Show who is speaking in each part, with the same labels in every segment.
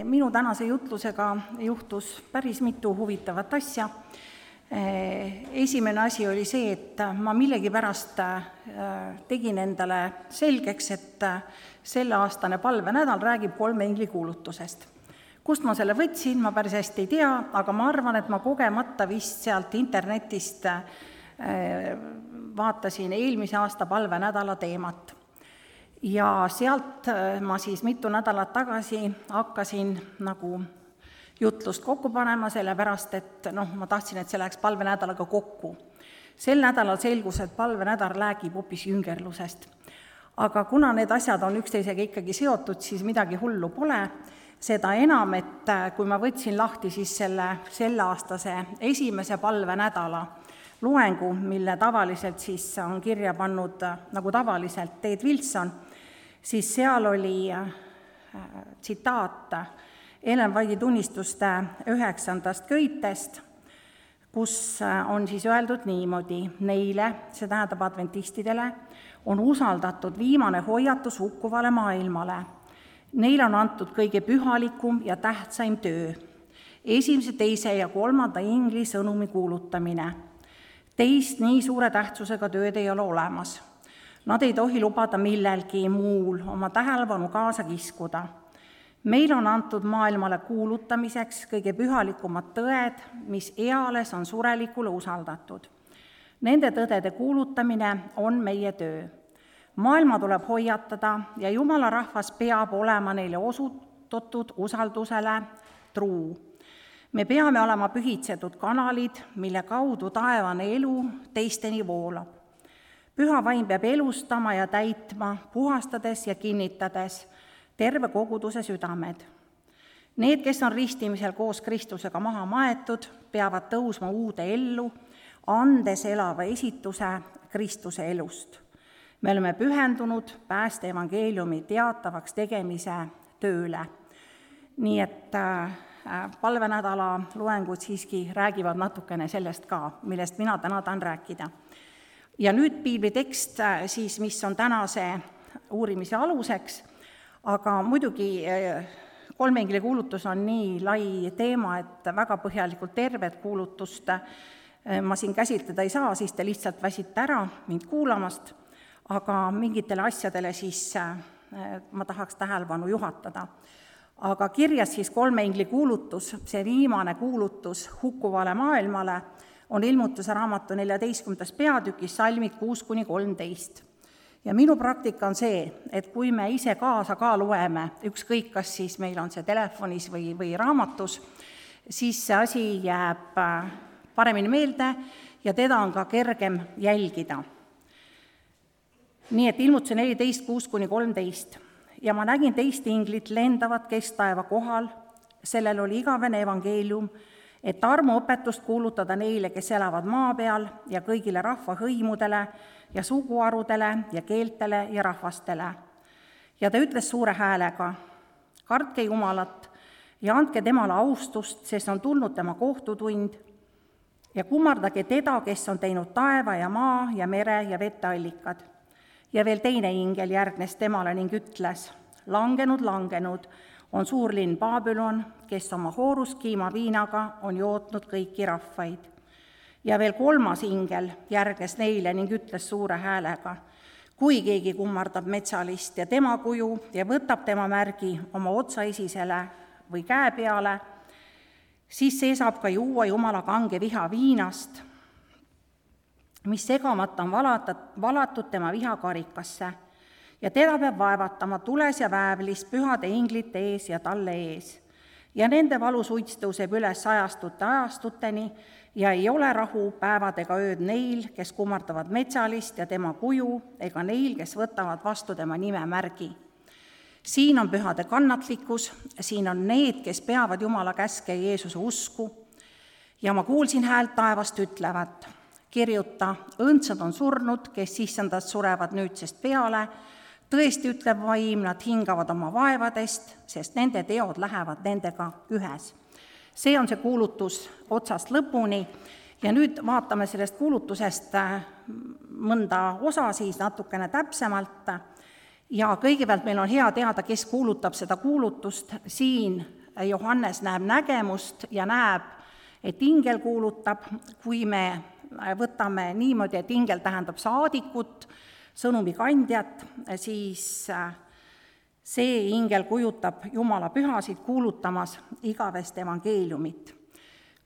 Speaker 1: Minu tänase jutlusega juhtus päris mitu huvitavat asja. Esimene asi oli see, et ma millegipärast tegin endale selgeks, et selleaastane palvenädal räägib 3 ingli kuulutusest. Kust ma selle võtsin, ma päris hästi ei tea, aga ma arvan, et ma kogemata vist sealt internetist vaatasin eelmise aasta palvenädala teemat. Ja sealt ma siis mitu nädalat tagasi hakkasin nagu jutlust kokku panema, sellepärast, et ma tahtsin, et see läheks palvenädalaga kokku. Sel nädalal selgus, et palvenädal räägib hoopis jüngerlusest. Aga kuna need asjad on üksteisega ikkagi seotud, siis midagi hullu pole. Seda enam, et kui ma võtsin lahti siis selleaastase esimese palvenädala loengu, mille tavaliselt siis on kirja pannud nagu tavaliselt Ted Wilson, siis seal oli tsitaat Ellen White'i tunnistuste 9. köitest, kus on siis öeldud niimoodi: neile, see tähendab adventistidele, on usaldatud viimane hoiatus hukkuvale maailmale. Neile on antud kõige pühalikum ja tähtsaim töö, 1., 2. ja 3. ingli sõnumi kuulutamine. Teist nii suure tähtsusega tööd ei ole olemas. Nad ei tohi lubada millelgi muul oma tähelepanu kaasa kiskuda. Meil on antud maailmale kuulutamiseks kõige pühalikumad tõed, mis eales on surelikule usaldatud. Nende tõdede kuulutamine on meie töö. Maailma tuleb hoiatada ja Jumala rahvas peab olema neile osutatud usaldusele truu. Me peame olema pühitsetud kanalid, mille kaudu taevane elu teisteni voolab. Püha vaim peab elustama ja täitma, puhastades ja kinnitades terve koguduse südamed. Need, kes on ristimisel koos Kristusega maha maetud, peavad tõusma uude ellu, andes elava esituse Kristuse elust. Me oleme pühendunud pääste evangeeliumi teatavaks tegemise tööle. Nii et palvenädala loengud siiski räägivad natukene sellest ka, millest mina täna tahan rääkida. Ja nüüd piiblitekst siis, mis on tänase uurimise aluseks, aga muidugi 3 ingli kuulutus on nii lai teema, et väga põhjalikult tervet kuulutust ma siin käsitleda ei saa, siis te lihtsalt väsite ära mind kuulamast, aga mingitele asjadele siis ma tahaks tähelepanu juhatada. Aga kirjas siis 3 ingli kuulutus, see viimane kuulutus hukkuvale maailmale, on Ilmutuse raamatu 14. peatükis salmid 6-13. Ja minu praktika on see, et kui me ise kaasa ka loeme, ükskõik kas siis meil on see telefonis või raamatus, siis see asi jääb paremini meelde ja teda on ka kergem jälgida. Nii et Ilmutuse 14, 6-13. Ja ma nägin teist inglit lendavat kesktaeva kohal, sellel oli igavene evangeelium, et armuõpetust kuulutada neile, kes elavad maa peal ja kõigile rahvahõimudele ja suguharudele ja keeltele ja rahvastele. Ja ta ütles suure häälega: kartke Jumalat ja andke temale austust, sest on tulnud tema kohtutund, ja kummardage teda, kes on teinud taeva ja maa ja mere ja veteallikad. Ja veel teine ingel järgnes temale ning ütles: langenud on suur linn Babylon, kes oma hooruskiima viinaga on jootnud kõiki rahvaid. Ja veel 3. ingel järgnes neile ning ütles suure häälega: kui keegi kummardab metsalist ja tema kuju ja võtab tema märgi oma otsaesisele või käe peale, siis see saab ka juua Jumala kange viha viinast, mis segamata on valatud tema vihakarikasse, ja teda peab vaevatama tules ja väävlis pühade inglite ees ja talle ees. Ja nende valusuits tõuseb üles ajastuteni ja ei ole rahu päevad ega ööd neil, kes kummardavad metsalist ja tema kuju, ega neil, kes võtavad vastu tema nimemärgi. Siin on pühade kannatlikkus, siin on need, kes peavad Jumala käske ja Jeesuse usku. Ja ma kuulsin häält taevast ütlevat: kirjuta, õndsad on surnud, kes issandast surevad nüüdsest peale, tõesti ütleb vaim, nad hingavad oma vaevadest, sest nende teod lähevad nendega ühes. See on see kuulutus otsast lõpuni ja nüüd vaatame sellest kuulutusest mõnda osa siis natukene täpsemalt. Ja kõigepealt meil on hea teada, kes kuulutab seda kuulutust. Siin Johannes näeb nägemust ja näeb, et ingel kuulutab, kui me võtame niimoodi, et ingel tähendab saadikut, sõnumi kandjat, siis see ingel kujutab Jumala pühasid kuulutamas igavest evangeeliumit.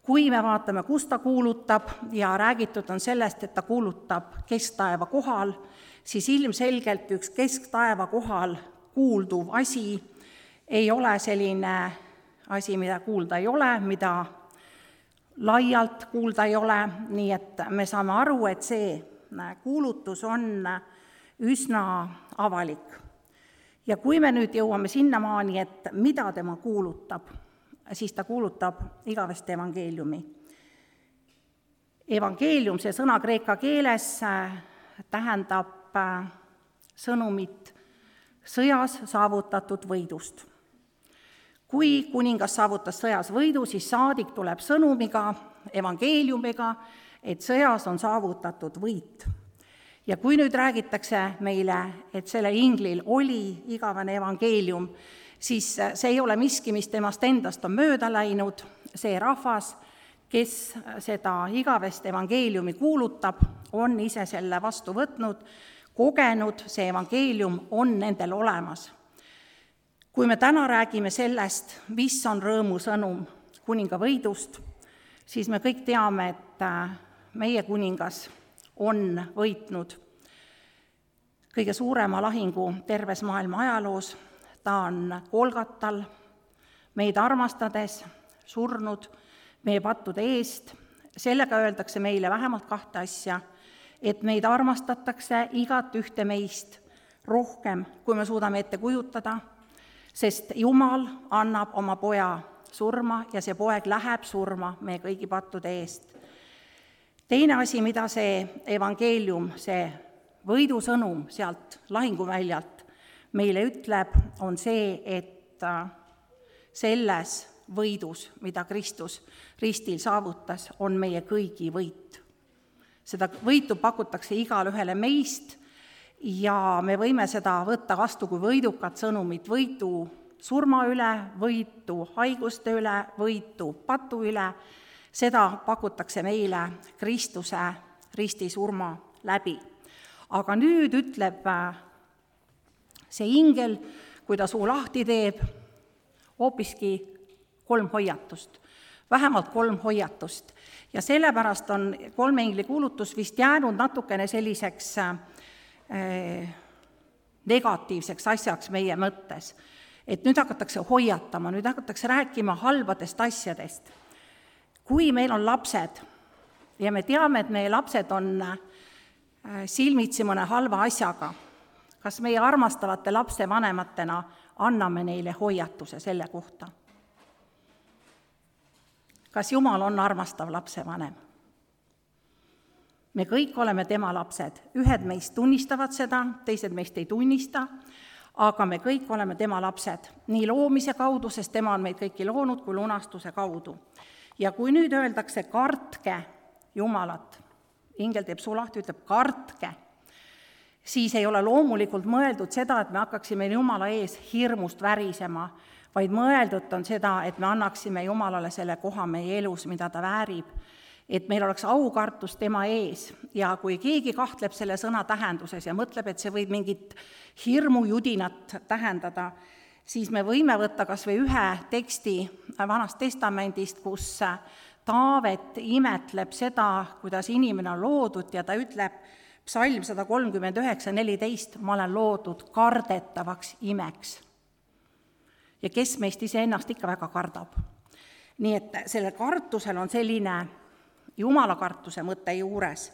Speaker 1: Kui me vaatame, kus ta kuulutab ja räägitud on sellest, et ta kuulutab kesktaeva kohal, siis ilmselgelt üks kesktaeva kohal kuulduv asi ei ole selline asi, mida kuulda ei ole, mida laialt kuulda ei ole, nii et me saame aru, et see kuulutus on üsna avalik. Ja kui me nüüd jõuame sinnamaani, et mida tema kuulutab, siis ta kuulutab igavest evangeeliumi. Evangeelium, see sõna kreeka keeles, tähendab sõnumit sõjas saavutatud võidust. Kui kuningas saavutas sõjas võidu, siis saadik tuleb sõnumiga, evangeeliumiga, et sõjas on saavutatud võit. Ja kui nüüd räägitakse meile, et selle inglil oli igavene evangeelium, siis see ei ole miski, mis temast endast on mööda läinud, see rahvas, kes seda igavest evangeeliumi kuulutab, on ise selle vastu võtnud, kogenud, see evangeelium on nendel olemas. Kui me täna räägime sellest, mis on rõõmusõnum kuninga võidust, siis me kõik teame, et meie kuningas on võitnud kõige suurema lahingu terves maailma ajaloos. Ta on Golgatal meid armastades surnud meie pattude eest. Sellega öeldakse meile vähemalt 2 asja, et meid armastatakse igat ühte meist rohkem, kui me suudame ette kujutada, sest Jumal annab oma poja surma ja see poeg läheb surma meie kõigi pattude eest. Teine asi, mida see evangeelium, see võidusõnum sealt lahinguväljalt meile ütleb, on see, et selles võidus, mida Kristus ristil saavutas, on meie kõigi võit. Seda võitu pakutakse igale ühele meist ja me võime seda võtta vastu kui võidukat sõnumit, võitu surma üle, võitu haiguste üle, võitu patu üle. Seda pakutakse meile Kristuse ristisurma läbi. Aga nüüd ütleb see ingel, kui ta suu lahti teeb, hoopiski 3 hoiatust, vähemalt 3 hoiatust. Ja sellepärast on 3 ingli kuulutus vist jäänud natukene selliseks negatiivseks asjaks meie mõttes. Et nüüd hakatakse hoiatama, nüüd hakatakse rääkima halbadest asjadest. Kui meil on lapsed ja me teame, et meie lapsed on silmitsi mõne halva asjaga, kas meie armastavate lapsevanematena anname neile hoiatuse selle kohta? Kas Jumal on armastav lapsevanem? Me kõik oleme tema lapsed. Ühed meist tunnistavad seda, teised meist ei tunnista, aga me kõik oleme tema lapsed. Nii loomise kaudu, sest tema on meid kõiki loonud, kui lunastuse kaudu. Ja kui nüüd öeldakse, kartke Jumalat, ingel teeb suu lahti, ütleb kartke, siis ei ole loomulikult mõeldud seda, et me hakkaksime Jumala ees hirmust värisema, vaid mõeldud on seda, et me annaksime Jumalale selle koha meie elus, mida ta väärib, et meil oleks aukartus tema ees. Ja kui keegi kahtleb selle sõna tähenduses ja mõtleb, et see võib mingit hirmujudinat tähendada, siis me võime võtta kas või ühe teksti Vanast Testamendist, kus Taavet imetleb seda, kuidas inimene on loodud ja ta ütleb, Psalm 139:14, ma olen loodud kardetavaks imeks. Ja kes meist iseennast ikka väga kardab. Nii et sellel kartusel on selline Jumala kartuse mõte juures.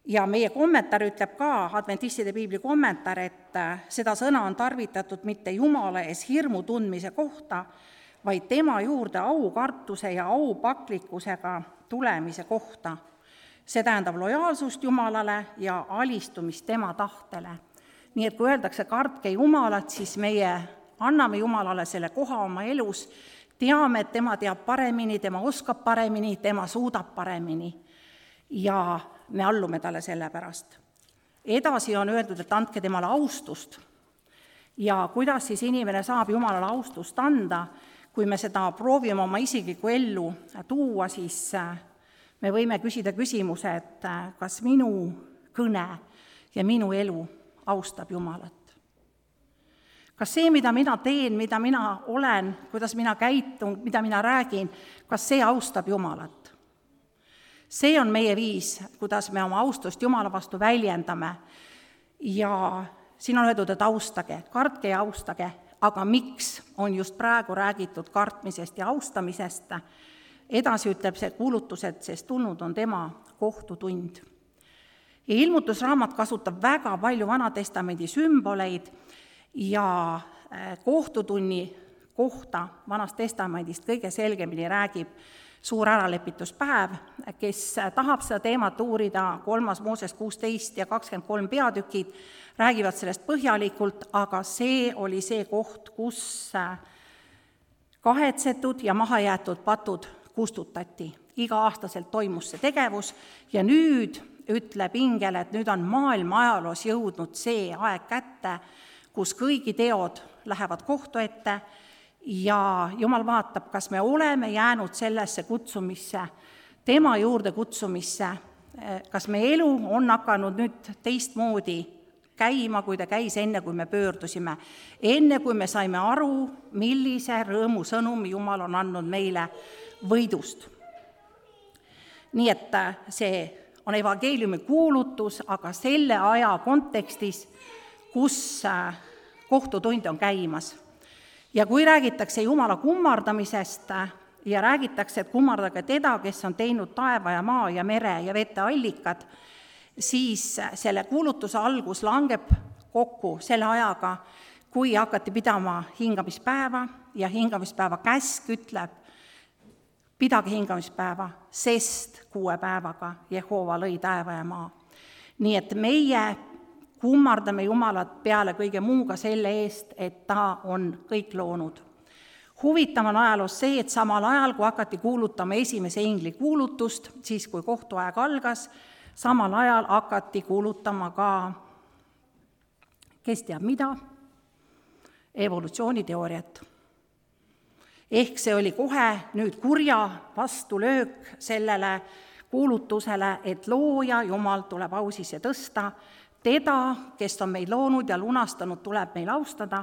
Speaker 1: Ja meie kommentaar ütleb ka, adventistide piibli kommentaar, et seda sõna on tarvitatud mitte Jumala ees hirmu tundmise kohta, vaid tema juurde aukartuse ja aupaklikkusega tulemise kohta. See tähendab lojaalsust Jumalale ja alistumist tema tahtele. Nii et kui öeldakse kartke Jumalat, siis meie anname Jumalale selle koha oma elus, teame, et tema teab paremini, tema oskab paremini, tema suudab paremini ja me allume talle selle pärast. Edasi on öeldud, et andke temale austust. Ja kuidas siis inimene saab Jumalale austust anda, kui me seda proovime oma isiklikku ellu tuua, siis me võime küsida küsimuse, et kas minu kõne ja minu elu austab Jumalat. Kas see, mida mina teen, mida mina olen, kuidas mina käitun, mida mina räägin, kas see austab Jumalat? See on meie viis, kuidas me oma austust Jumala vastu väljendame. Ja siin on öeldud, et austage, kartke ja austage, aga miks on just praegu räägitud kartmisest ja austamisest? Edasi ütleb see kuulutus, et sest tulnud on tema kohtutund. Ja ilmutusraamat kasutab väga palju Vanatestamendi sümboleid ja kohtutunni kohta Vanast Testamendist kõige selgemini räägib suur äralepituspäev. Kes tahab seda teemat uurida, 3. Mooses 16 ja 23 peatükid räägivad sellest põhjalikult, aga see oli see koht, kus kahetsetud ja mahajäetud patud kustutati. Iga-aastaselt toimus see tegevus ja nüüd ütleb ingel, et nüüd on maailma ajaloos jõudnud see aeg kätte, kus kõigi teod lähevad kohtu ette ja Jumal vaatab, kas me oleme jäänud sellesse kutsumisse, tema juurde kutsumisse, kas meie elu on hakanud nüüd teistmoodi käima, kui ta käis enne, kui me pöördusime, enne kui me saime aru, millise rõõmusõnumi Jumal on andnud meile võidust. Nii et see on evangeeliumi kuulutus, aga selle aja kontekstis, kus kohtutund on käimas. Ja kui räägitakse Jumala kummardamisest ja räägitakse, et kummardage teda, kes on teinud taeva ja maa ja mere ja vete allikad, siis selle kuulutuse algus langeb kokku selle ajaga, kui hakati pidama hingamispäeva ja hingamispäeva käsk ütleb, pidage hingamispäeva, sest 6 päevaga Jehova lõi taeva ja maa. Nii et meie kummardame Jumalat peale kõige muuga selle eest, et ta on kõik loonud. Huvitav on ajaloos see, et samal ajal, kui hakati kuulutama esimese ingli kuulutust, siis kui kohtuaeg algas, samal ajal hakati kuulutama ka, kes teab mida, evolutsiooniteooriat. Ehk see oli kohe nüüd kurja vastulöök sellele kuulutusele, et looja Jumal tuleb au sisse tõsta, teda, kes on meid loonud ja lunastanud, tuleb meil austada.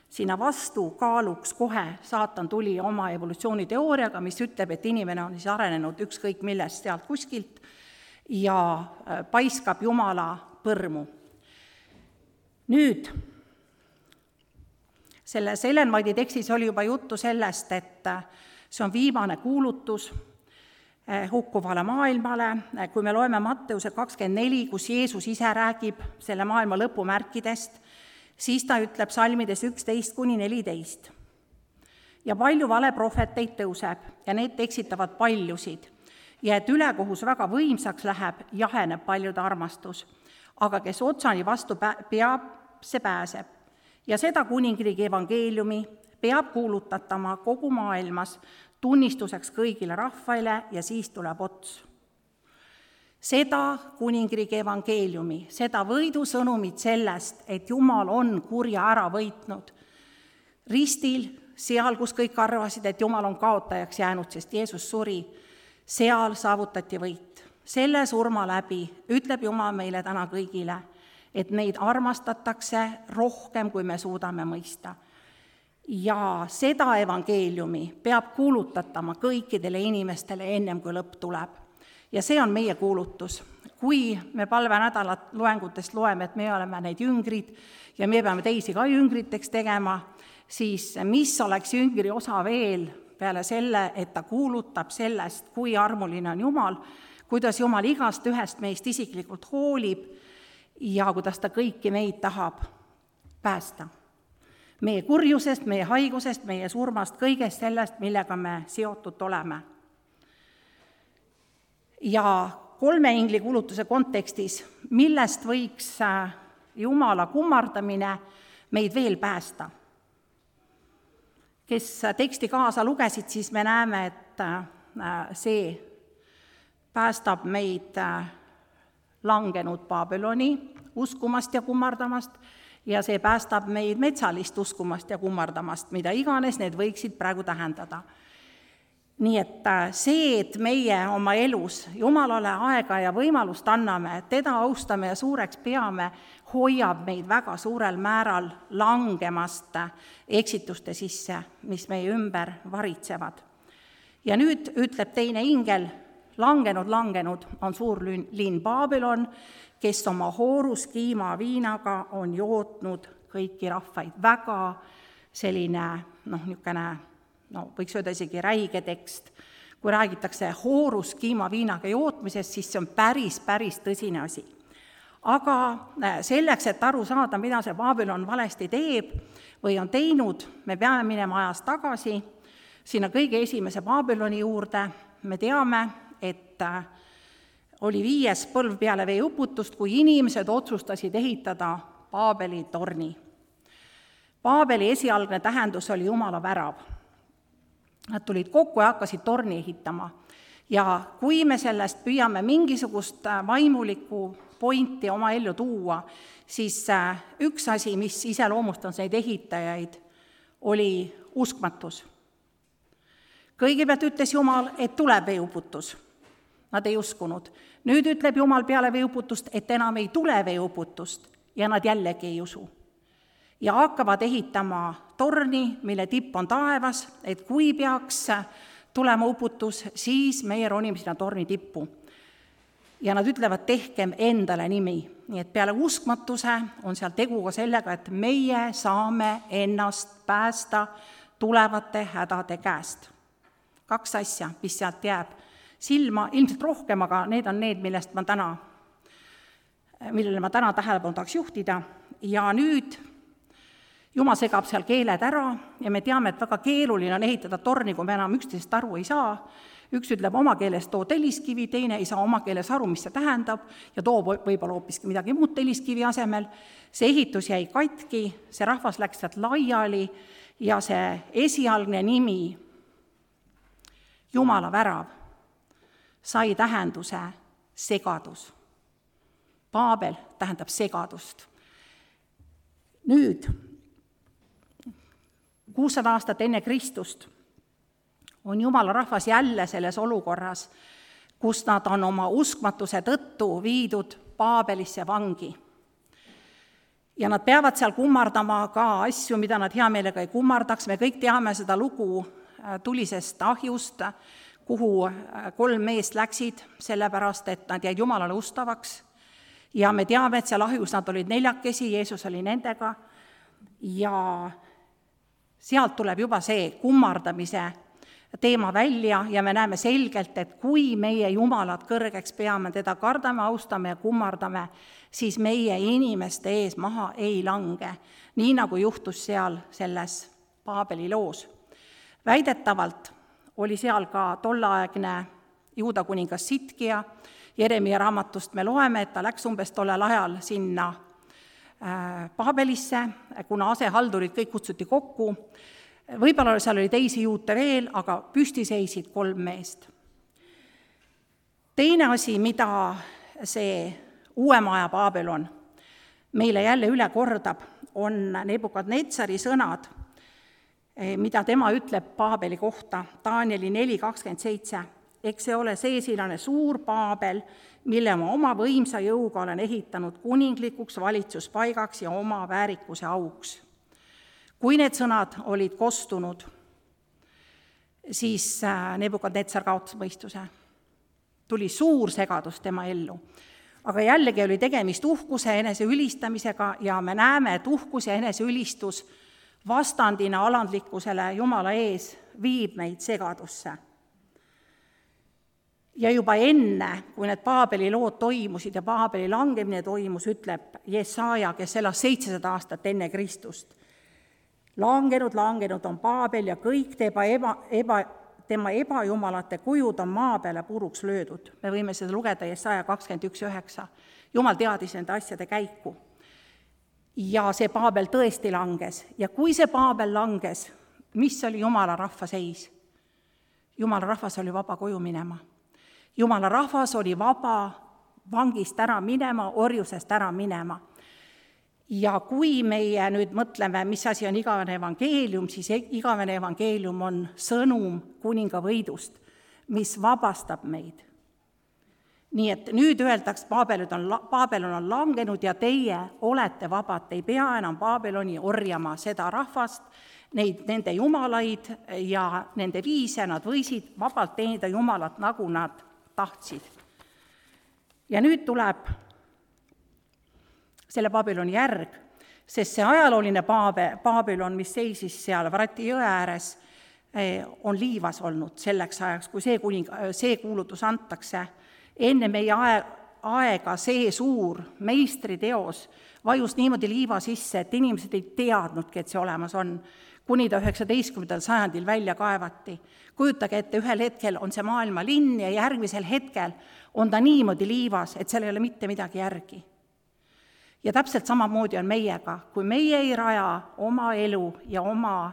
Speaker 1: Sinna vastu kaaluks kohe saatan tuli oma evolutsiooniteooriaga, mis ütleb, et inimene on siis arenenud ükskõik millest sealt kuskilt ja paiskab Jumala põrmu. Nüüd, selles Ellen White'i tekstis oli juba juttu sellest, et see on viimane kuulutus hukkuvale maailmale, kui me loeme Matteuse 24, kus Jeesus ise räägib selle maailma lõpumärkidest, siis ta ütleb salmides 11-14. Ja palju valeprohveteid tõuseb ja need eksitavad paljusid ja et ülekohus väga võimsaks läheb, jaheneb paljude armastus. Aga kes otsani vastu peab, see pääseb. Ja seda kuningriigi evangeeliumi peab kuulutatama kogu maailmas tunnistuseks kõigile rahvaile ja siis tuleb ots. Seda kuningriigi evangeeliumi, seda võidusõnumit sellest, et Jumal on kurja ära võitnud. Ristil, seal, kus kõik arvasid, et Jumal on kaotajaks jäänud, sest Jeesus suri, seal saavutati võit. Selle surma läbi ütleb Jumal meile täna kõigile, et meid armastatakse rohkem, kui me suudame mõista. Ja seda evangeeliumi peab kuulutatama kõikidele inimestele ennem, kui lõpp tuleb. Ja see on meie kuulutus. Kui me palvenädalat loengutest loeme, et me oleme need jüngrid ja me peame teisi ka jüngriteks tegema, siis mis oleks jüngri osa veel peale selle, et ta kuulutab sellest, kui armuline on Jumal, kuidas Jumal igast ühest meist isiklikult hoolib ja kuidas ta kõiki meid tahab päästa. Meie kurjusest, meie haigusest, meie surmast, kõigest sellest, millega me seotud oleme. Ja 3 ingli kuulutuse kontekstis, millest võiks Jumala kummardamine meid veel päästa? Kes teksti kaasa lugesid, siis me näeme, et see päästab meid langenud Babyloni uskumast ja kummardamast ja see päästab meid metsalist uskumast ja kummardamast, mida iganes need võiksid praegu tähendada. Nii et see, et meie oma elus Jumalale aega ja võimalust anname, teda austame ja suureks peame, hoiab meid väga suurel määral langemast eksituste sisse, mis meie ümber varitsevad. Ja nüüd ütleb teine ingel, langenud on suur linn Babylon, kes oma hooruskiima viinaga on jootnud kõiki rahvaid. Väga selline, võiks öelda isegi räige tekst. Kui räägitakse hooruskiima viinaga jootmisest, siis see on päris tõsine asi. Aga selleks, et aru saada, mida see Babylon valesti teeb või on teinud, me peame minema ajas tagasi sinna kõige esimese Babyloni juurde. Me teame, et oli 5. põlv peale veeuputust, kui inimesed otsustasid ehitada Paabeli torni. Paabeli esialgne tähendus oli Jumala värav. Nad tulid kokku ja hakkasid torni ehitama. Ja kui me sellest püüame mingisugust vaimulikku pointi oma ellu tuua, siis üks asi, mis iseloomustas neid ehitajaid, oli uskmatus. Kõigepealt ütles Jumal, et tuleb veeuputus. Nad ei uskunud. Nüüd ütleb Jumal peale veeuputust, et enam ei tule veeuputust ja nad jällegi ei usu. Ja hakkavad ehitama torni, mille tipp on taevas, et kui peaks tulema uputus, siis meie ronime sinna torni tippu. Ja nad ütlevad, tehkem endale nimi. Nii et peale uskmatuse on seal tegu ka sellega, et meie saame ennast päästa tulevate hädade käest. 2 asja, mis sealt jääb silma, ilmselt rohkem, aga need on need, millele ma täna tähelepanu tahaks juhtida. Ja nüüd Jumal segab seal keeled ära ja me teame, et väga keeruline on ehitada torni, kui me enam üksteisest aru ei saa. Üks ütleb oma keeles too telliskivi, teine ei saa oma keeles aru, mis see tähendab, ja toob võib-olla hoopiski midagi muud telliskivi asemel. See ehitus jäi katki, see rahvas läks sealt laiali ja see esialgne nimi, Jumala värav, sai tähenduse segadus. Paabel tähendab segadust. Nüüd, 600 aastat enne Kristust on Jumala rahvas jälle selles olukorras, kus nad on oma uskmatuse tõttu viidud Paabelisse vangi. Ja nad peavad seal kummardama ka asju, mida nad hea meelega ei kummardaks. Me kõik teame seda lugu tulisest ahjust, kuhu 3 meest läksid, sellepärast, et nad jäid Jumalale ustavaks. Ja me teame, et seal ahjus nad olid 4, Jeesus oli nendega. Ja sealt tuleb juba see kummardamise teema välja ja me näeme selgelt, et kui meie Jumalat kõrgeks peame, teda kardame, austame ja kummardame, siis meie inimeste ees maha ei lange, nii nagu juhtus seal selles Paabeli loos. Väidetavalt oli seal ka tolleaegne Juuda kuningas Sitkia. Jeremia raamatust me loeme, et ta läks umbes tollel ajal sinna Paabelisse, kuna asehaldurid kõik kutsuti kokku. Võib-olla seal oli teisi juute veel, aga püsti seisid 3 meest. Teine asi, mida see uuemaja Babylon meile jälle üle kordab, on Nebukadnetsari sõnad, mida tema ütleb Paabeli kohta, Danieli 4:27. Eks see ole seesilane suur Paabel, mille ma oma võimsa jõuga olen ehitanud kuninglikuks valitsuspaigaks ja oma väärikuse auks. Kui need sõnad olid kostunud, siis Nebukadnetsar kaotas mõistuse. Tuli suur segadus tema ellu. Aga jällegi oli tegemist uhkuse eneseülistamisega ja me näeme, et uhkus ja eneseülistus vastandina alandlikkusele Jumala ees viib meid segadusse. Ja juba enne, kui need Paabeli lood toimusid ja Paabeli langemine toimus, ütleb Jesaja, kes elas 700 aastat enne Kristust. Langenud on Paabel ja kõik tema ebajumalate kujud on maa peale puruks löödud. Me võime seda lugeda Jesaja 21:9. Jumal teadis nende asjade käiku. Ja see Paabel tõesti langes. Ja kui see Paabel langes, mis oli Jumala rahva seis? Jumala rahvas oli vaba koju minema. Jumala rahvas oli vaba vangist ära minema, orjusest ära minema. Ja kui meie nüüd mõtleme, mis asi on igavene evangeelium, siis igavene evangeelium on sõnum kuninga võidust, mis vabastab meid. Nii et nüüd öeldaks, Paabelon on langenud ja teie olete vabad, te ei pea enam Paabeloni orjama seda rahvast, nende jumalaid ja nende viise, nad võisid vabalt teenida Jumalat, nagu nad tahtsid. Ja nüüd tuleb selle Paabeloni järg, sest see ajalooline Paabelon, mis seisis seal Vrati jõe ääres, on liivas olnud selleks ajaks, kui see kuulutus antakse. Enne meie aega see suur meistriteos vajus niimoodi liiva sisse, et inimesed ei teadnudki, et see olemas on, kuni ta 19. sajandil välja kaevati. Kujutage ette, ühel hetkel on see maailma linn ja järgmisel hetkel on ta niimoodi liivas, et seal ei ole mitte midagi järgi. Ja täpselt samamoodi on meiega, kui meie ei raja oma elu ja oma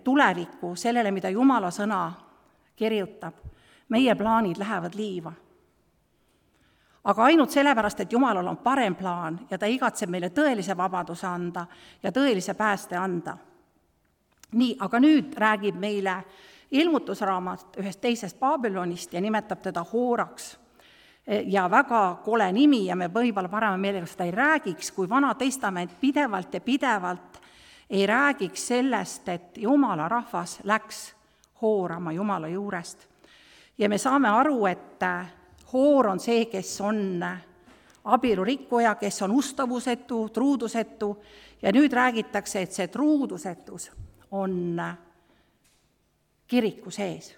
Speaker 1: tulevikku sellele, mida Jumala sõna kirjutab, meie plaanid lähevad liiva. Aga ainult sellepärast, et Jumalal on parem plaan ja ta igatseb meile tõelise vabaduse anda ja tõelise pääste anda. Nii, aga nüüd räägib meile ilmutusraamat ühest teisest Paabelonist ja nimetab teda Hooraks. Ja väga kole nimi ja me võib-olla parema meelega seda ei räägiks, kui Vana Testament pidevalt ei räägiks sellest, et Jumala rahvas läks hoorama Jumala juurest. Ja me saame aru, et hoor on see, kes on abielurikkuja, kes on ustavusetu, truudusetu ja nüüd räägitakse, et see truudusetus on kiriku sees.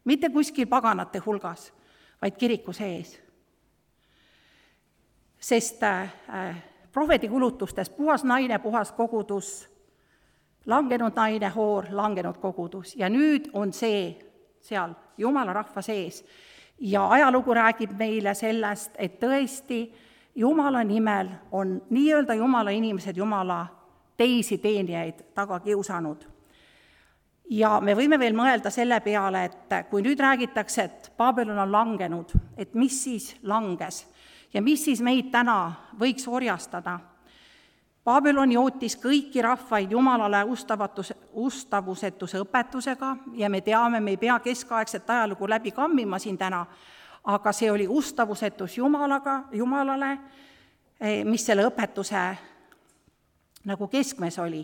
Speaker 1: Mitte kuskil paganate hulgas, vaid kiriku sees. Sest prohveti kulutustes puhas naine, puhas kogudus, langenud naine, hoor, langenud kogudus ja nüüd on see seal Jumala rahva sees. Ja ajalugu räägib meile sellest, et tõesti Jumala nimel on nii-öelda Jumala inimesed Jumala teisi teenijaid taga kiusanud. Ja me võime veel mõelda selle peale, et kui nüüd räägitakse, et Paabelon on langenud, et mis siis langes ja mis siis meid täna võiks orjastada. Paabelon jootis kõiki rahvaid Jumalale ustavusetuse õpetusega ja me teame, me ei pea keskaegset ajalugu läbi kammima siin täna, aga see oli ustavusetus Jumalale, mis selle õpetuse nagu keskmes oli.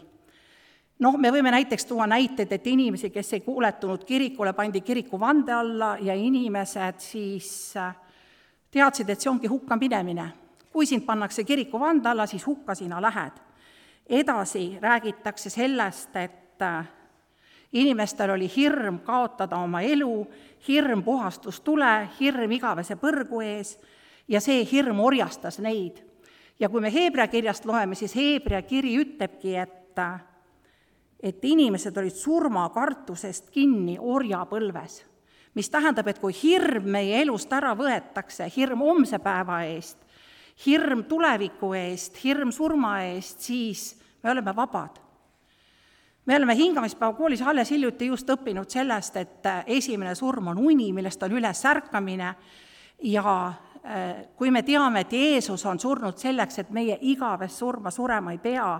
Speaker 1: Me võime näiteks tuua näiteid, et inimesi, kes ei kuuletunud kirikule, pandi kiriku vande alla ja inimesed siis teadsid, et see ongi hukka minemine. Kui sind pannakse kiriku vande alla, siis hukka sina lähed. Edasi räägitakse sellest, et inimestel oli hirm kaotada oma elu, hirm puhastustule, hirm igavese põrgu ees ja see hirm orjastas neid. Ja kui me Heebrea kirjast loeme, siis Heebrea kiri ütlebki, et inimesed olid surmakartusest kinni orjapõlves, mis tähendab, et kui hirm meie elust ära võetakse, hirm homse päeva eest, hirm tuleviku eest, hirm surma eest, siis me oleme vabad. Me oleme hingamispäeva koolis alles hiljuti just õppinud sellest, et esimene surm on uni, millest on üles ärkamine ja kui me teame, et Jeesus on surnud selleks, et meie igavest surma surema ei pea,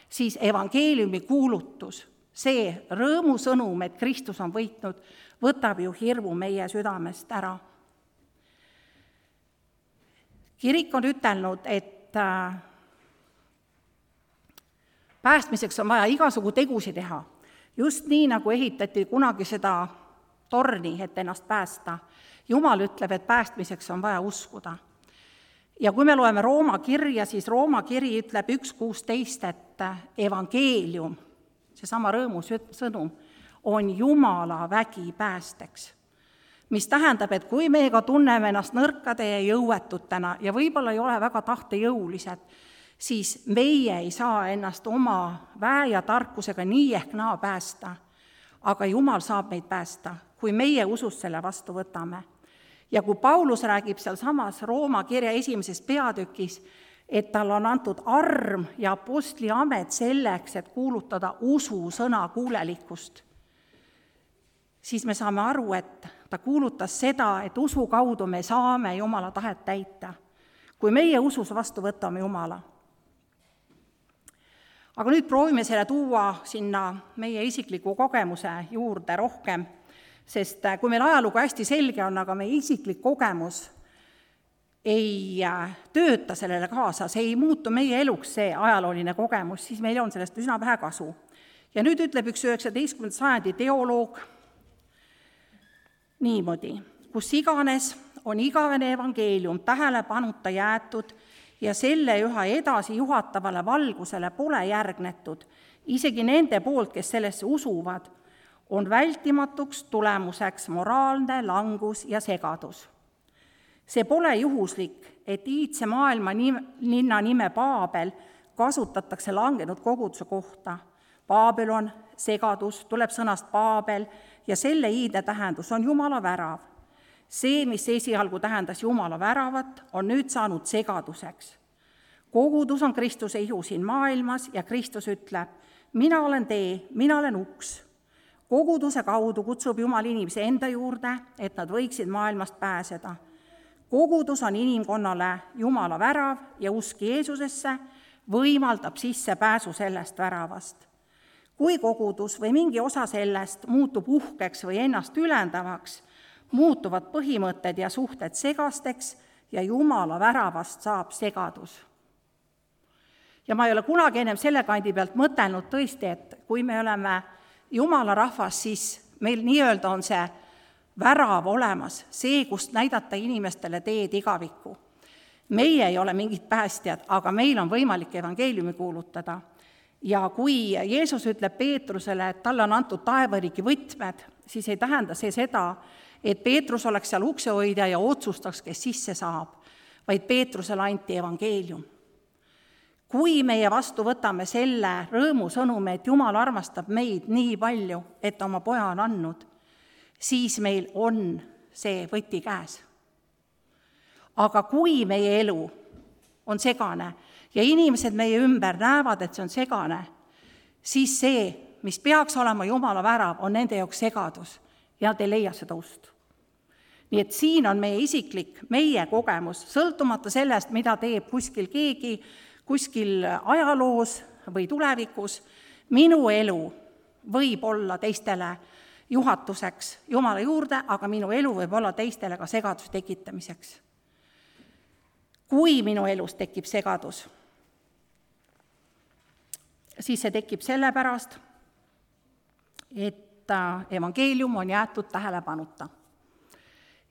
Speaker 1: siis evangeeliumi kuulutus, see rõõmusõnum, et Kristus on võitnud, võtab ju hirmu meie südamest ära. Kirik on ütelnud, et päästmiseks on vaja igasugu tegusid teha. Just nii, nagu ehitati kunagi seda torni, et ennast päästa. Jumal ütleb, et päästmiseks on vaja uskuda. Ja kui me loeme Rooma kirja, siis Rooma kiri ütleb 1.16, et evangeelium, seesama rõõmusõnum, on Jumala vägi päästeks. Mis tähendab, et kui me ka tunneme ennast nõrkade ja jõuetutena ja võib-olla ei ole väga tahtejõulised, siis meie ei saa ennast oma väe ja tarkusega nii ehk naa päästa, aga Jumal saab meid päästa, kui meie usust selle vastu võtame. Ja kui Paulus räägib seal samas Rooma kirja 1. peatükis, et tal on antud arm ja apostli amet selleks, et kuulutada usu sõna kuulelikkust, siis me saame aru, et ta kuulutas seda, et usu kaudu me saame Jumala tahet täita. Kui meie usus vastu võtame Jumala, Aga nüüd proovime selle tuua sinna meie isikliku kogemuse juurde rohkem, sest kui meil ajalugu hästi selge on, aga meie isiklik kogemus ei tööta sellele kaasa, see ei muutu meie eluks, see ajalooline kogemus, siis meil on sellest üsna vähe kasu. Ja nüüd ütleb üks 19. sajandi teoloog niimoodi, kus iganes on igavene evangeelium tähelepanuta jäetud ja selle üha edasi juhatavale valgusele pole järgnetud, isegi nende poolt, kes sellesse usuvad, on vältimatuks tulemuseks moraalne langus ja segadus. See pole juhuslik, et iidse maailma linna nime Paabel kasutatakse langenud koguduse kohta. Babylon, segadus, tuleb sõnast Paabel ja selle iidne tähendus on Jumala värav. See, mis esialgu tähendas Jumala väravat, on nüüd saanud segaduseks. Kogudus on Kristuse ihu siin maailmas ja Kristus ütleb, mina olen tee, mina olen uks. Koguduse kaudu kutsub Jumal inimese enda juurde, et nad võiksid maailmast pääseda. Kogudus on inimkonnale Jumala värav ja usk Jeesusesse võimaldab sisse pääsu sellest väravast. Kui kogudus või mingi osa sellest muutub uhkeks või ennast ülendavaks, muutuvad põhimõtted ja suhted segasteks ja Jumala väravast saab segadus. Ja ma ei ole kunagi ennem selle kandi pealt mõtelnud tõesti, et kui me oleme Jumala rahvas, siis meil nii-öelda on see värav olemas, see, kust näidata inimestele teed igavikku. Meie ei ole mingid päästjad, aga meil on võimalik evangeeliumi kuulutada. Ja kui Jeesus ütleb Peetrusele, et talle on antud taevariigi võtmed, siis ei tähenda see seda, et Peetrus oleks seal uksehoidja ja otsustaks, kes sisse saab, vaid Peetrusele anti evangeelium. Kui meie vastu võtame selle rõõmusõnume, et Jumal armastab meid nii palju, et oma poja on andnud, siis meil on see võti käes. Aga kui meie elu on segane ja inimesed meie ümber näevad, et see on segane, siis see, mis peaks olema Jumala värav, on nende jaoks segadus ja nad ei leia seda ust. Nii et siin on meie isiklik, meie kogemus, sõltumata sellest, mida teeb kuskil keegi, kuskil ajaloos või tulevikus, minu elu võib olla teistele juhatuseks Jumala juurde, aga minu elu võib olla teistele ka segaduse tekitamiseks. Kui minu elus tekib segadus, siis see tekib sellepärast, et evangeelium on jäetud tähelepanuta.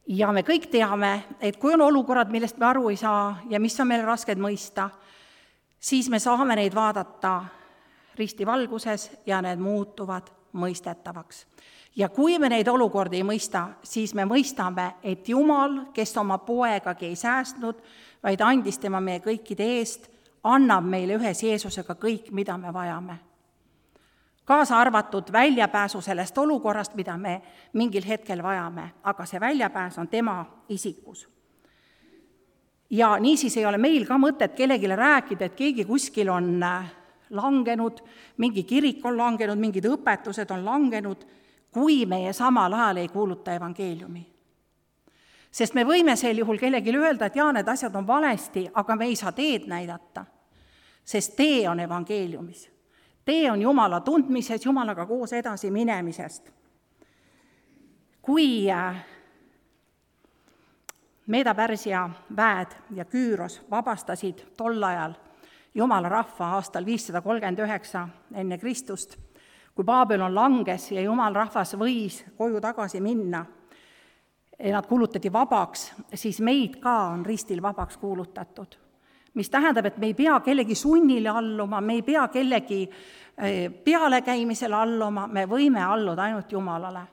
Speaker 1: Ja me kõik teame, et kui on olukorrad, millest me aru ei saa ja mis on meile rasked mõista, siis me saame neid vaadata ristivalguses ja need muutuvad mõistetavaks. Ja kui me neid olukordi ei mõista, siis me mõistame, et Jumal, kes oma poegagi ei säästnud, vaid andis tema meie kõikide eest, annab meile ühes Jeesusega kõik, mida me vajame. Kaasa arvatud väljapääsu sellest olukorrast, mida me mingil hetkel vajame, aga see väljapääs on tema isikus. Ja niisiis ei ole meil ka mõtet kellegile rääkida, et keegi kuskil on langenud, mingi kirik on langenud, mingid õpetused on langenud, kui meie samal ajal ei kuuluta evangeeliumi. Sest me võime sel juhul kellelegi öelda, et jaa, need asjad on valesti, aga me ei saa teed näidata, sest tee on evangeeliumis. Tee on Jumala tundmises, Jumalaga koos edasi minemisest. Kui Meeda-Pärsia väed ja Küüros vabastasid tol ajal Jumala rahva aastal 539 enne Kristust, kui Babylon langes ja Jumal rahvas võis koju tagasi minna, nad kuulutati vabaks, siis meid ka on ristil vabaks kuulutatud. Mis tähendab, et me ei pea kellegi sunnile alluma, me ei pea kellegi pealekäimisele alluma, me võime alluda ainult Jumalale.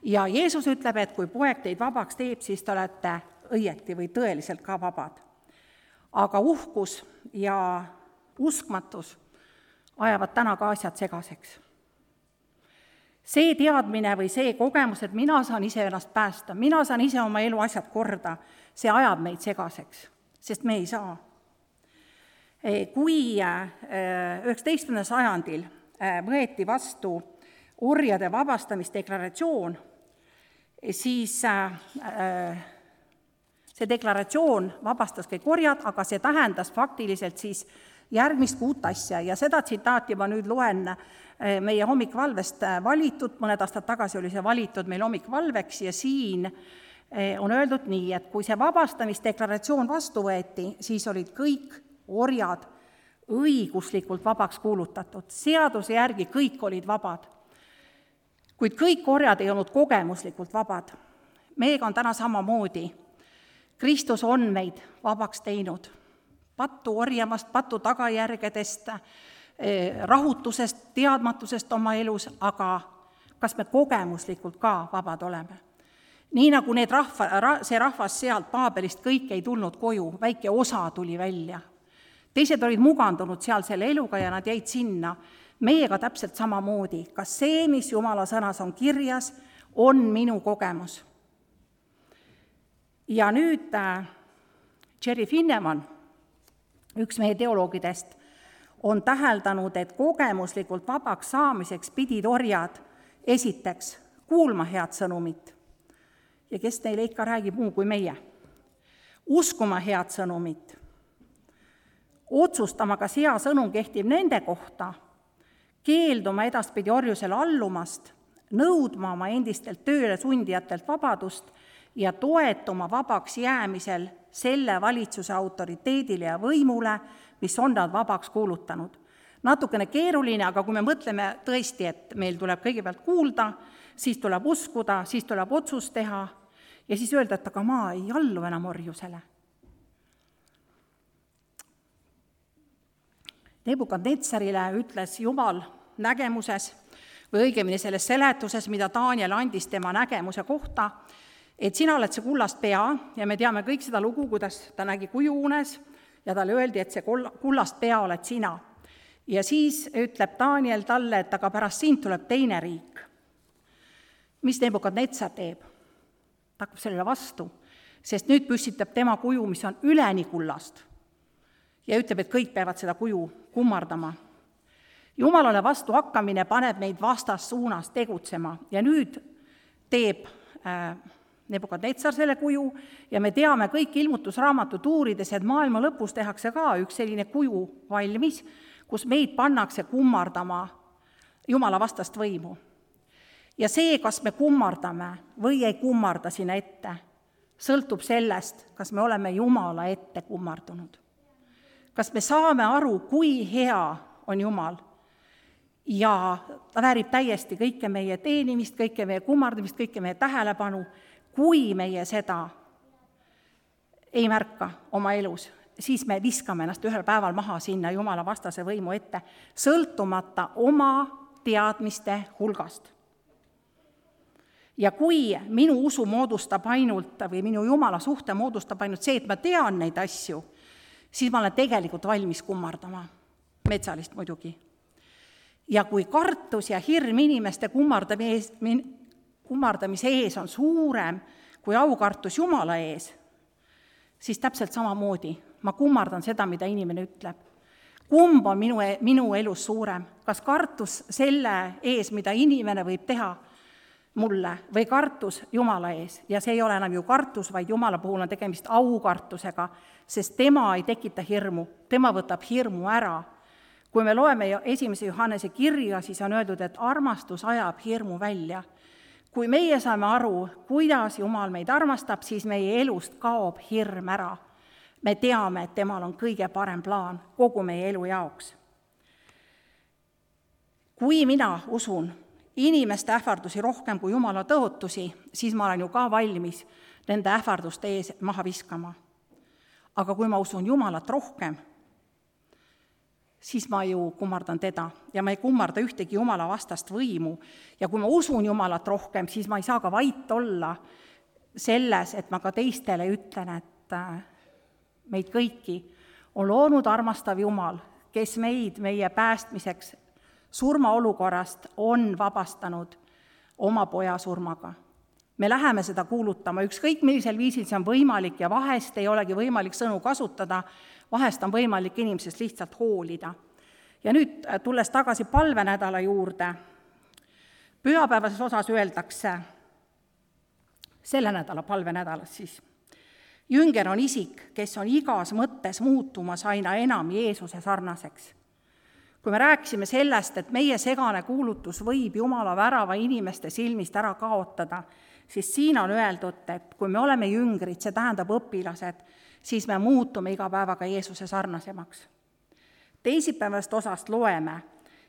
Speaker 1: Ja Jeesus ütleb, et kui poeg teid vabaks teeb, siis te olete õieti või tõeliselt ka vabad. Aga uhkus ja uskmatus ajavad täna ka asjad segaseks. See teadmine või see kogemus, et mina saan ise ennast päästa, mina saan ise oma elu asjad korda, see ajab meid segaseks, sest me ei saa. Kui 19. sajandil võeti vastu orjade vabastamisdeklaratsioon, siis see deklaratsioon vabastas kõik orjad, aga see tähendas faktiliselt siis järgmist 6 asja ja seda tsitaati ma nüüd loen meie hommikvalvest valitud, mõned aastad tagasi oli see valitud meil hommikvalveks ja siin on öeldud nii, et kui see vabastamisdeklaratsioon vastu võeti, siis olid kõik orjad õiguslikult vabaks kuulutatud. Seaduse järgi kõik olid vabad, kuid kõik orjad ei olnud kogemuslikult vabad. Meiega on täna samamoodi. Kristus on meid vabaks teinud patu orjamast, patu tagajärgedest, rahutusest, teadmatusest oma elus, aga kas me kogemuslikult ka vabad oleme? Nii nagu see rahvas sealt Paabelist kõik ei tulnud koju, väike osa tuli välja. Teised olid mugandunud seal selle eluga ja nad jäid sinna. Meiega täpselt samamoodi. Kas see, mis Jumala sõnas on kirjas, on minu kogemus? Ja nüüd Jerry Finneman, üks meie teoloogidest, on täheldanud, et kogemuslikult vabaks saamiseks pidid orjad esiteks kuulma head sõnumit. Ja kes neile ikka räägib muu kui meie? Uskuma head sõnumit. Otsustama, kas hea sõnum kehtib nende kohta, keelduma edaspidi orjusele allumast, nõudma oma endistelt tööle sundijatelt vabadust ja toetuma vabaks jäämisel selle valitsuse autoriteedile ja võimule, mis on nad vabaks kuulutanud. Natukene keeruline, aga kui me mõtleme tõesti, et meil tuleb kõigepealt kuulda, siis tuleb uskuda, siis tuleb otsus teha ja siis öelda, et aga ma ei allu enam orjusele. Nebukadnetsarile ütles Jumal nägemuses, või õigemini selles seletuses, mida Daniel andis tema nägemuse kohta, et sina oled see kullast pea ja me teame kõik seda lugu, kuidas ta nägi kujuunes ja talle öeldi, et see kullast pea oled sina. Ja siis ütleb Daniel talle, et aga pärast sind tuleb teine riik. Mis Nebukadnetsar teeb? Ta hakkab sellele vastu, sest nüüd püstitab tema kuju, mis on üleni kullast ja ütleb, et kõik peavad seda kuju kummardama. Jumalale vastu hakkamine paneb meid vastassuunas tegutsema ja nüüd teeb Nebukadnetsar selle kuju ja me teame kõik ilmutusraamatut uurides, et maailma lõpus tehakse ka üks selline kuju valmis, kus meid pannakse kummardama Jumala vastast võimu. Ja see, kas me kummardame või ei kummarda sinna ette, sõltub sellest, kas me oleme Jumala ette kummardunud. Kas me saame aru, kui hea on Jumal ja ta väärib täiesti kõike meie teenimist, kõike meie kummardamist, kõike meie tähelepanu. Kui meie seda ei märka oma elus, siis me viskame ennast ühel päeval maha sinna Jumala vastase võimu ette, sõltumata oma teadmiste hulgast. Ja kui minu usu moodustab ainult või minu Jumala suhte moodustab ainult see, et ma tean neid asju, siis ma olen tegelikult valmis kummardama, metsalist muidugi. Ja kui kartus ja hirm inimeste kummardamise ees on suurem kui aukartus Jumala ees, siis täpselt samamoodi ma kummardan seda, mida inimene ütleb. Kumb on minu elus suurem? Kas kartus selle ees, mida inimene võib teha mulle, või kartus Jumala ees? Ja see ei ole enam ju kartus, vaid Jumala puhul on tegemist aukartusega, sest tema ei tekita hirmu, tema võtab hirmu ära. Kui me loeme 1. Johannese kirja, siis on öeldud, et armastus ajab hirmu välja. Kui meie saame aru, kuidas Jumal meid armastab, siis meie elust kaob hirm ära. Me teame, et temal on kõige parem plaan kogu meie elu jaoks. Kui mina usun inimeste ähvardusi rohkem kui Jumala tõotusi, siis ma olen ju ka valmis nende ähvarduste ees maha viskama. Aga kui ma usun Jumalat rohkem, siis ma ju kummardan teda ja ma ei kummarda ühtegi Jumala vastast võimu. Ja kui ma usun Jumalat rohkem, siis ma ei saa ka vait olla selles, et ma ka teistele ütlen, et meid kõiki on loonud armastav Jumal, kes meid meie päästmiseks surmaolukorrast on vabastanud oma poja surmaga. Me läheme seda kuulutama, ükskõik millisel viisil see on võimalik ja vahest ei olegi võimalik sõnu kasutada, vahest on võimalik inimesest lihtsalt hoolida. Ja nüüd tulles tagasi palvenädala juurde, pühapäevases osas öeldakse, selle nädala palvenädalas siis, Jünger on isik, kes on igas mõttes muutumas aina enam Jeesuse sarnaseks. Kui me rääkisime sellest, et meie segane kuulutus võib Jumala värava inimeste silmist ära kaotada, siis siin on öeldud, et kui me oleme jüngrid, see tähendab õpilased, siis me muutume iga päevaga Jeesuse sarnasemaks. Teisipäevast osast loeme,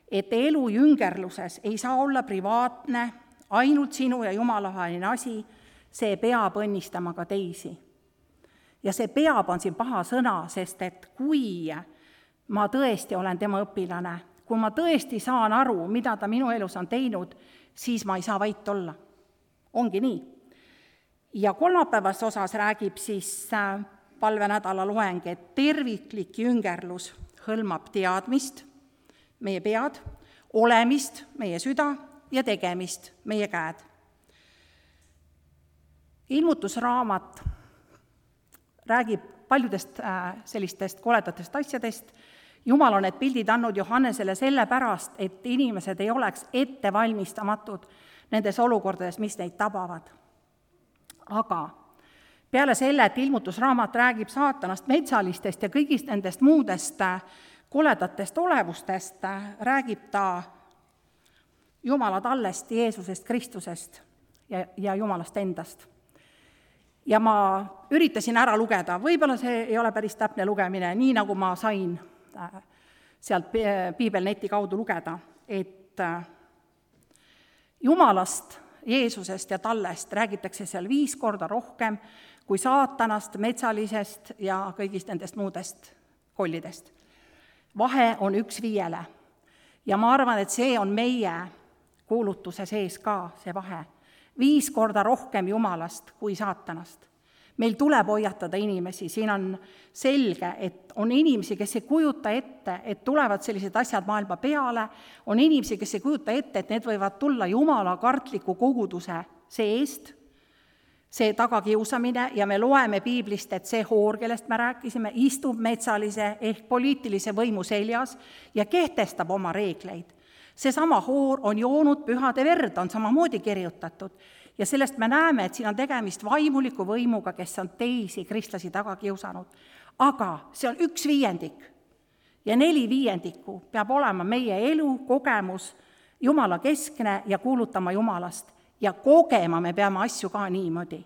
Speaker 1: et elu jüngerluses ei saa olla privaatne, ainult sinu ja Jumala vaheline asi, see peab õnnistama ka teisi. Ja see peab on siin paha sõna, sest et kui ma tõesti olen tema õpilane, kui ma tõesti saan aru, mida ta minu elus on teinud, siis ma ei saa vait olla. Ongi nii. Ja kolmapäevas osas räägib siis palvenädala loeng, et terviklik jüngerlus hõlmab teadmist, meie pead, olemist, meie süda ja tegemist, meie käed. Ilmutusraamat räägib paljudest sellistest koledatest asjadest. Jumal on need pildid andnud Johannesele sellepärast, et inimesed ei oleks ettevalmistamatud nendes olukordades, mis neid tabavad. Aga peale selle, et ilmutusraamat räägib saatanast, metsalistest ja kõigist nendest muudest koledatest olevustest, räägib ta Jumala tallest, Jeesusest, Kristusest ja Jumalast endast. Ja ma üritasin ära lugeda, võib-olla see ei ole päris täpne lugemine, nii nagu ma sain sealt Piibelneti kaudu lugeda, et Jumalast, Jeesusest ja tallest räägitakse seal 5 korda rohkem kui saatanast, metsalisest ja kõigist nendest muudest kollidest. Vahe on 1:5. Ja ma arvan, et see on meie kuulutuse sees ka see vahe. 5 korda rohkem Jumalast kui saatanast. Meil tuleb hoiatada inimesi, siin on selge, et on inimesi, kes ei kujuta ette, et tulevad sellised asjad maailma peale, on inimesi, kes ei kujuta ette, et need võivad tulla Jumala kartliku koguduse seest, see tagakiusamine, ja me loeme Piiblist, et see hoor, kellest me rääkisime, istub metsalise ehk poliitilise võimu seljas ja kehtestab oma reegleid. Seesama hoor on joonud pühade verd, on samamoodi kirjutatud. Ja sellest me näeme, et siin on tegemist vaimuliku võimuga, kes on teisi kristlasi taga kiusanud. Aga see on 1/5 ja 4/5 peab olema meie elu, kogemus, Jumala keskne ja kuulutama Jumalast. Ja kogema me peame asju ka niimoodi.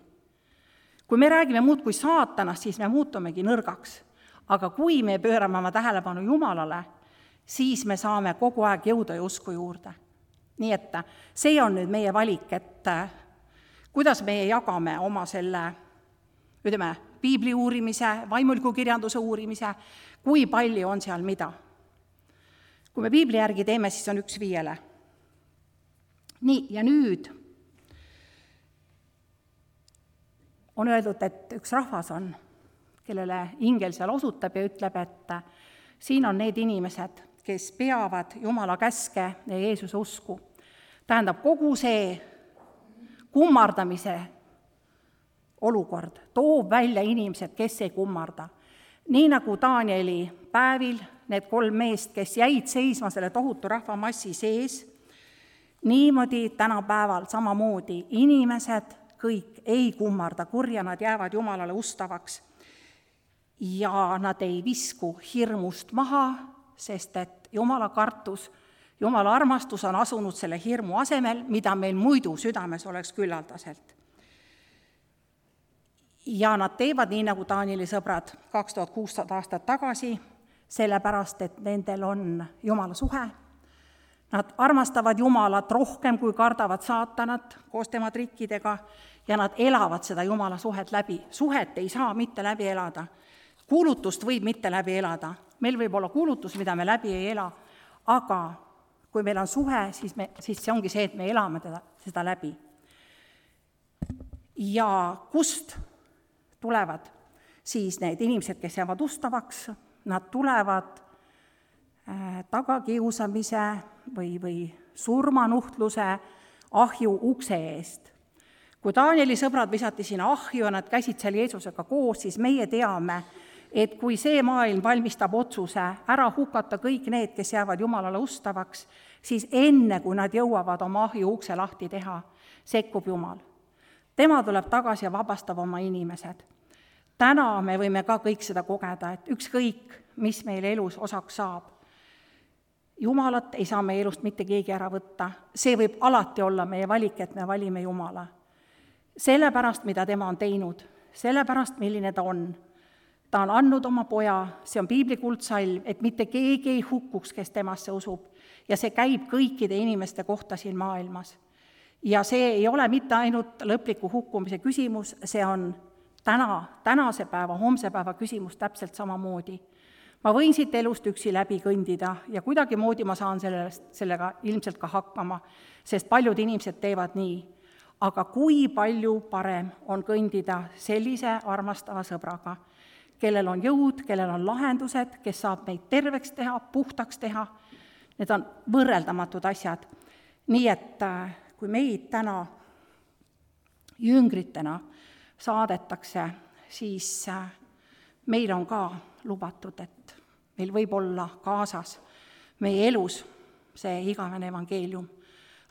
Speaker 1: Kui me räägime muud kui saatanast, siis me muutumegi nõrgaks. Aga kui me pöörame oma tähelepanu Jumalale, siis me saame kogu aeg jõuda ja usku juurde. Nii et see on nüüd meie valik, et kuidas me jagame oma selle, piibli uurimise, vaimuliku kirjanduse uurimise, kui palju on seal mida. Kui me piibli järgi teeme, siis on 1/5. Nii, ja nüüd on öeldud, et üks rahvas on, kellele ingel seal osutab ja ütleb, et siin on need inimesed, kes peavad Jumala käske ja Jeesuse usku. Tähendab, kogu see kummardamise olukord toob välja inimesed, kes ei kummarda. Nii nagu Danieli päevil need 3 meest, kes jäid seisma selle tohutu rahvamassi sees, niimoodi tänapäeval samamoodi inimesed kõik ei kummarda kurja, nad jäävad Jumalale ustavaks ja nad ei visku hirmust maha, sest et Jumala kartus, Jumala armastus on asunud selle hirmu asemel, mida meil muidu südames oleks küllaldaselt. Ja nad teevad nii, nagu Danieli sõbrad 2600 aastat tagasi, sellepärast, et nendel on Jumala suhe. Nad armastavad Jumalat rohkem, kui kardavad saatanat koos tema trikkidega ja nad elavad seda Jumala suhet läbi. Suhet ei saa mitte läbi elada. Kuulutust võib mitte läbi elada. Meil võib olla kuulutus, mida me läbi ei ela, aga kui meil on suhe, siis see ongi see, et me elame seda läbi. Ja kust tulevad siis need inimesed, kes jäävad ustavaks, nad tulevad tagakiusamise või surmanuhtluse ahju ukse eest. Kui Danieli sõbrad visati sinna ahju ja nad käisid seal Jeesusega koos, siis meie teame, et kui see maailm valmistab otsuse ära hukata kõik need, kes jäävad Jumalale ustavaks, siis enne, kui nad jõuavad oma ahju ukse lahti teha, sekkub Jumal. Tema tuleb tagasi ja vabastab oma inimesed. täna me võime ka kõik seda kogeda, et ükskõik, mis meil elus osaks saab. Jumalat ei saa meie elust mitte keegi ära võtta. See võib alati olla meie valik, et me valime Jumala. Sellepärast, mida tema on teinud, sellepärast, milline ta on. Ta on andnud oma poja, see on piibli kuldsalv, et mitte keegi ei hukkuks, kes temasse usub. Ja see käib kõikide inimeste kohta siin maailmas. Ja see ei ole mitte ainult lõpliku hukkumise küsimus, see on tänase päeva, homse päeva küsimus täpselt samamoodi. Ma võin siit elust üksi läbi kõndida ja kuidagimoodi ma saan sellega ilmselt ka hakkama, sest paljud inimesed teevad nii. Aga kui palju parem on kõndida sellise armastava sõbraga, kellel on jõud, kellel on lahendused, kes saab meid terveks teha, puhtaks teha. Need on võrreldamatud asjad. Nii et kui meid täna jüngritena saadetakse, siis meil on ka lubatud, et meil võib olla kaasas meie elus see igavene evangeelium.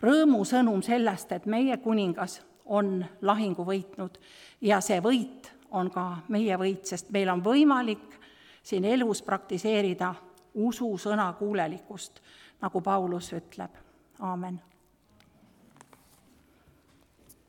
Speaker 1: Rõõmu sõnum sellest, et meie kuningas on lahingu võitnud ja see võit on ka meie võit, sest meil on võimalik siin elus praktiseerida usu sõna kuulelikkust, nagu Paulus ütleb. Aamen.